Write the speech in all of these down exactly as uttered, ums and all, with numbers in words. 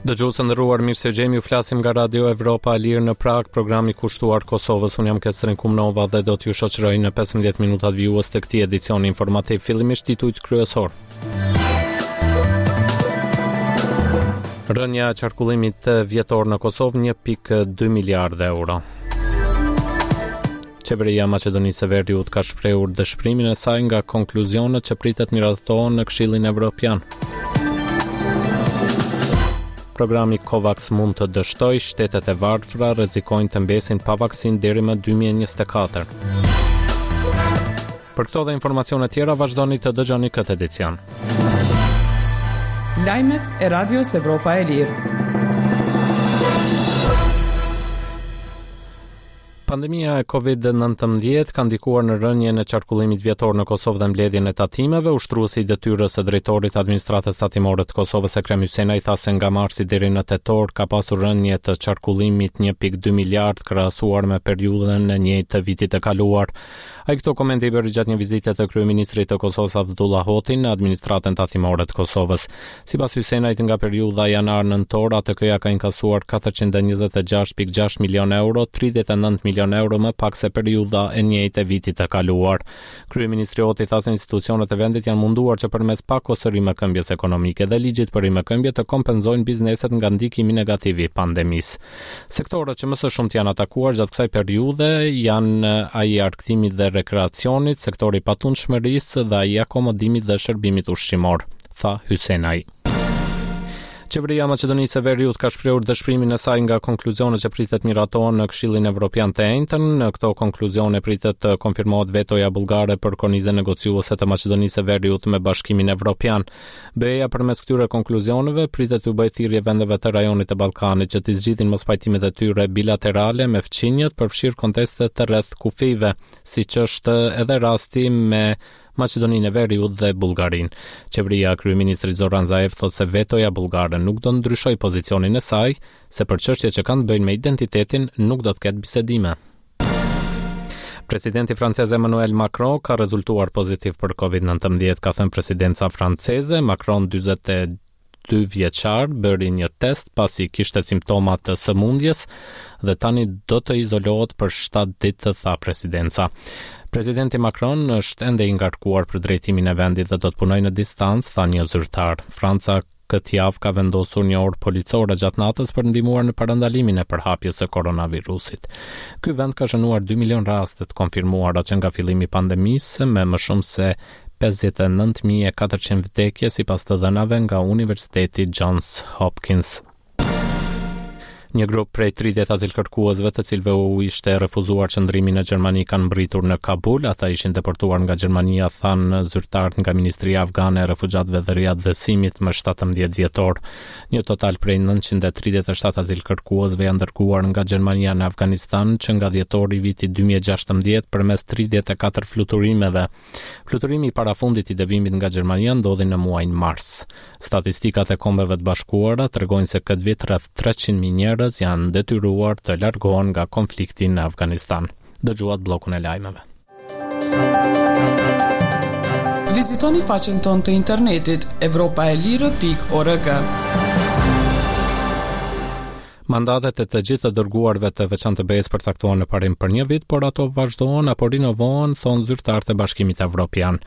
Dëgjues të nderuar, mirë se ju gjejmë, ju flasim nga Radio Evropa e Lirë në Prag, programi kushtuar Kosovës. Unë jam Kestrin Kumnova dhe do t'ju shoqëroj në pesëmbëdhjetë minutat vijues të këtij edicioni informativ. Fillimisht titujt kryesor. Rënia e qarkullimit vjetor në Kosovë një pikë dy miliardë euro. Qeveria e Maqedonisë së Veriut ka shprehur dëshpërimin e saj nga konkluzionet që pritet miratohen në Këshillin Evropian. Programi COVAX mund të dështojë, shtetet e varfra rrezikojnë të mbesin pa vaksinë deri më dy mijë e njëzet e katër. Për këto dhe informacione tjera vazhdoni të dëgjoni këtë edicion. Lajmet e Radios Evropa e Lirë. Pandemia e Covid nëntëmbëdhjetë ka ndikuar në rënien e qarkullimit vjetor në Kosovë dhe mbledhjen e tatimeve. Ushtruesi i detyrës së drejtorit të Administratës Tatimore të Kosovës, Ekrem Hysenaj, tha se nga marsi deri në tetor ka pasur rënie të qarkullimit një pikë dy miliard krahasuar me periudhën e njëjtë të vitit të kaluar. Ai këto komente i bëri gjatë një vizite të kryeministrit të Kosovës Avdullah Hoti në Administratën Tatimore të Kosovës. Sipas Hysenajt, nga periudha janar-nëntor, A T K-ja ka inkasuar katërqind e njëzet e gjashtë pikë gjashtë milion euro, tridhjetë e nëntë milion euro më pak se periudha e njëjtë e vitit të kaluar. Kryeministri Hoti tha se institucionet e vendit janë munduar që përmes pakos së rimëkëmbjes ekonomike dhe ligjit për rimëkëmbje të kompenzojnë bizneset nga ndikimi negativ i pandemisë. Sektorët që më së shumti janë atakuar gjatë kësaj periudhe janë ai i arkëtimit dhe rekreacionit, sektori i patundshmërisë dhe ai i akomodimit dhe shërbimit ushqimor, tha Hysenaj. Qeveria e Maqedonisë së Veriut ka shprehur dëshpërimin e saj nga konkluzionet që pritet miratohen në Këshillin Evropian të enjten. Në këto konkluzione pritet të konfirmohet vetoja bullgare për kornizën negociuese të Maqedonisë së Veriut me Bashkimin Evropian. B E-ja përmes këtyre konkluzioneve pritet t'u bëjë thirrje vendeve të rajonit të Ballkanit që t'i zgjidhin mospajtimet e tyre bilaterale me fqinjët, përfshirë kontestet rreth kufijve, siç është edhe rasti me Maqedoninë e Veriut dhe Bullgarinë. Qeveria e kryeministrit Zoran Zaev thotë se vetoja bullgare nuk do ndryshojë pozicionin e saj, se për çështje që kanë të bëjnë me identitetin nuk do të ketë bisedime. Presidenti francez Emmanuel Macron ka rezultuar pozitiv për Covid nëntëmbëdhjetë, ka thënë presidenca franceze. Macron, dyzet e dy vjeçar, bëri një test pasi kishte simptoma të sëmundjes dhe tani do të izolohet për shtatë ditë, tha presidenca. Presidenti Macron është ende i ngarkuar për drejtimin e vendit dhe do të punojë në distancë, tha një zyrtar. Franca këtë javë ka vendosur një orë policore gjatë natës për ndihmuar në parandalimin e përhapjes së koronavirusit. Ky vend ka shënuar dy milion raste të konfirmuara që nga fillimi i pandemisë, me më shumë se pesëdhjetë e nëntë mijë e katërqind vdekje sipas të dhënave nga Universiteti Johns Hopkins. Një grup prej tridhjetë azilkërkuesve, të cilëve u ishte refuzuar qëndrimi në Gjermani, kanë mbërritur në Kabul. Ata ishin deportuar nga Gjermania, thanë zyrtarët nga Ministria Afgane e Refugjatëve dhe Riatdhesimit më shtatëmbëdhjetë dhjetor. Një total prej nëntëqind e tridhjetë e shtatë azilkërkuesve janë dërguar nga Gjermania në Afganistan që nga dhjetori i vitit dy mijë e gjashtëmbëdhjetë përmes tridhjetë e katër fluturimeve. Fluturimi i parafundit i dëbimit nga Gjermania ndodhi në muajin mars. Statistikat e Kombeve të Bashkuara tregojnë se këtë vit rreth treqind mijë njerëz janë detyruar të largohen nga konflikti në Afganistan. Dëgjuat bllokun e lajmeve. Vizitoni faqen tonë të internetit evropa e lirë pikë org. Mandatet e të gjithë të dërguarve të veçantë të B E-s përcaktohen në parim për një vit, por ato vazhdohen apo rinovohen, thonë zyrtarët e Bashkimit Evropian.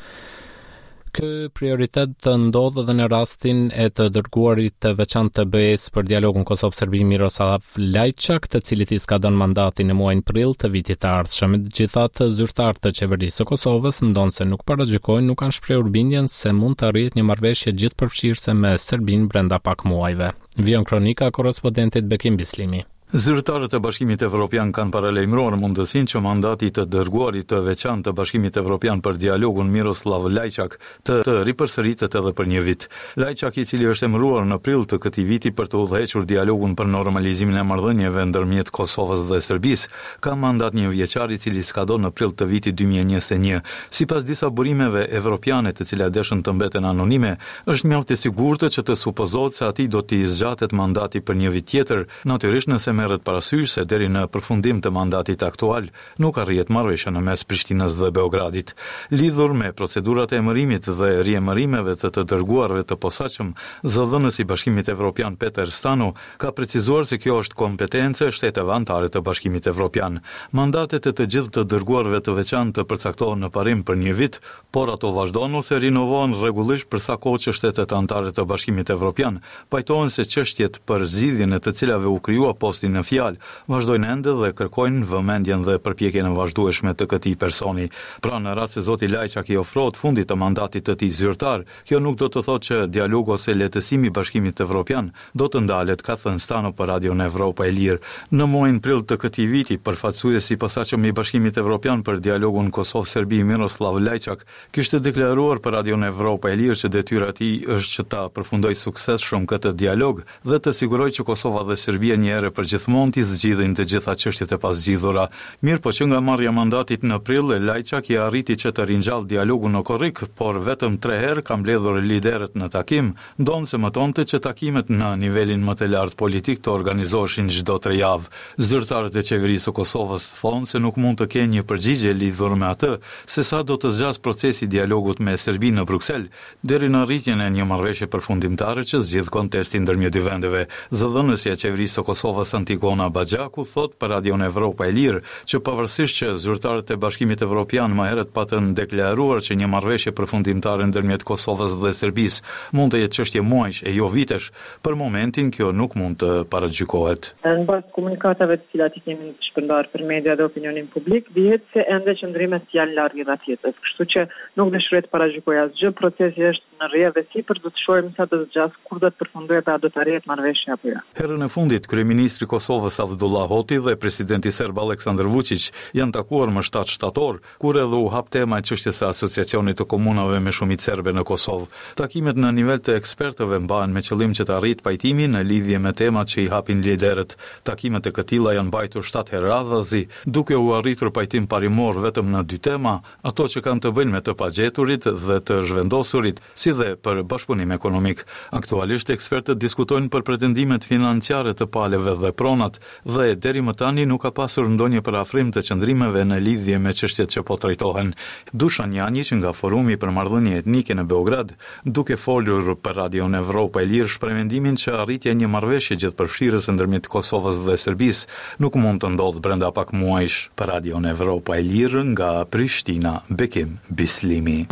Ky prioritet ndodh edhe në rastin e të dërguarit të veçantë të B E-s për dialogun Kosovë-Serbi Miroslav Lajçak, të cilit i skadon mandati në muajin prill të vitit të ardhshëm. Megjithatë, zyrtarët të qeverisë së Kosovës, ndonëse nuk paragjykojnë, nuk kanë shprehur bindjen se mund të arrihet një marrëveshje gjithëpërfshirëse me Serbinë brenda pak muajve. Vijon kronika e korrespondentit Bekim Bislimi. Zyrtarët e Bashkimit Evropian kanë paralajmëruar mundësinë që mandati i të dërguarit të veçantë të Bashkimit Evropian për dialogun Miroslav Lajçak të, të ripërsëritet edhe për një vit. Lajçak, i cili është emëruar në prill të këtij viti për të udhëhequr dialogun për normalizimin e marrëdhënieve ndërmjet Kosovës dhe Serbisë, ka mandat një vjeçar i cili skadon në prill të vitit dy mijë e njëzet e një. Sipas disa burimeve evropiane, të cilat deshën të mbeten anonime, është mjaft e sigurtë që të supozohet se atij do t'i zgjatet mandati për një vit tjetër, natyrisht nëse merret parasysh se deri në përfundim të mandatit aktual nuk arrihet marrëveshja në mes Prishtinës dhe Beogradit. Lidhur me procedurat e emërimit dhe riemërimeve të të dërguarve të posaçëm, zëdhënësi i Bashkimit Evropian Peter Stano ka precizuar se kjo është kompetencë e shteteve anëtare të Bashkimit Evropian. Mandatet e të gjithë të dërguarve të veçantë përcaktohen në parim për një vit, por ato vazhdojnë ose rinovohen rregullisht për sa kohë që shtetet anëtare të Bashkimit Evropian pajtohen se çështjet për zgjidhjen e të cilave u krijua posti në fjalë vazhdojnë ende dhe kërkojnë vëmendjen dhe përpjekjen e vazhdueshme të këtij personi. Pra, në rast se zoti Lajçak i ofrohet fundit të mandatit të tij zyrtar, kjo nuk do të thotë që dialogu ose lehtësimi i Bashkimit Evropian do të ndalet, ka thënë Stano për Radion Evropa e Lirë. Në muajin prill të këtij viti, përfaqësuesi i posaçëm i Bashkimit Evropian për dialogun Kosovë-Serbi Miroslav Lajçak kishte deklaruar për Radion Evropa e Lirë që detyra e tij është që ta përfundojë suksesshëm këtë dialog dhe të sigurojë që Kosova dhe Serbia një herë për gjithmonë t'i zgjidhin të gjitha çështjet e pazgjidhura. Mirëpo që nga marrja e mandatit në prill, Lajçak i arriti që të ringjallë dialogun në korrik, por vetëm tre herë ka mbledhur liderët në takim, ndonëse mëtonte që takimet në nivelin më të lartë politik të organizoheshin çdo tre javë. Zyrtarët e qeverisë së Kosovës thonë se nuk mund të kenë një përgjigje lidhur me atë se sa do të zgjasë procesi i dialogut me Serbinë në Bruksel, deri në arritjen e një marrëveshje përfundimtare që zgjidh kontestin ndërmjet dy vendeve. Zëdhënësja e qeverisë së Kosovës Antigona Baxhaku thotë për Radion Evropa e Lirë që pavarësisht që zyrtarët e Bashkimit Evropian më herët patën deklaruar që një marrëveshje përfundimtare ndërmjet Kosovës dhe Serbisë mund të jetë çështje muajsh e jo vitesh, për momentin kjo nuk mund të paragjykohet. Në bazë të komunikatave të cilat i kemi shpërndarë për media dhe opinionin publik, dihet se ende qëndrimet janë larg njëra tjetrës, kështu që nuk dëshiroj të paragjykoj asgjë, procesi është në rrjedhë e sipër, do të shohim sa do të zgjasë, kur do të përfundojë dhe a do të arrihet marrëveshja apo jo. Herën e fundit, kryeministri i Kosovës Avdullah Hoti dhe presidenti serb Aleksandar Vučić janë takuar më shtatë shtator, kur edhe u hap tema e çështjes së Asociacionit të Komunave me shumicë serbe në Kosovë. Takimet në nivel të ekspertëve mbahen me qëllim që të arrit pajtimi në lidhje me temat që i hapin liderët. Takimet e këtilla janë mbajtur shtatë herë radhazi, duke u arritur pajtim parimor vetëm në dy tema, ato që kanë të bëjnë me të pagjeturit dhe të zhvendosurit, si dhe për bashkëpunim ekonomik. Aktualisht ekspertët diskutojnë për pretendimet financiare të palëve dhe pronat dhe deri më tani nuk ka pasur ndonjë përafrim të qëndrimeve në lidhje me çështjet që po trajtohen. Dushan Janjiq nga Forumi për Marrëdhënie Etnike në Beograd, duke folur për Radion Evropa e Lirë, shpreh mendimin që arritja e një marrëveshje gjithëpërfshirëse ndërmjet Kosovës dhe Serbisë nuk mund të ndodhë brenda pak muajsh. Për Radion Evropa e Lirë nga Prishtina, Bekim Bislimi.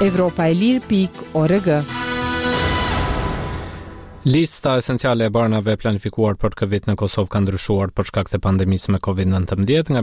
Evropa e Lirë pikë org. Lista esenciale e barnave planifikuar për këtë vit në Kosovë ka ndryshuar për shkak të pandemisë me Covid nëntëmbëdhjetë nga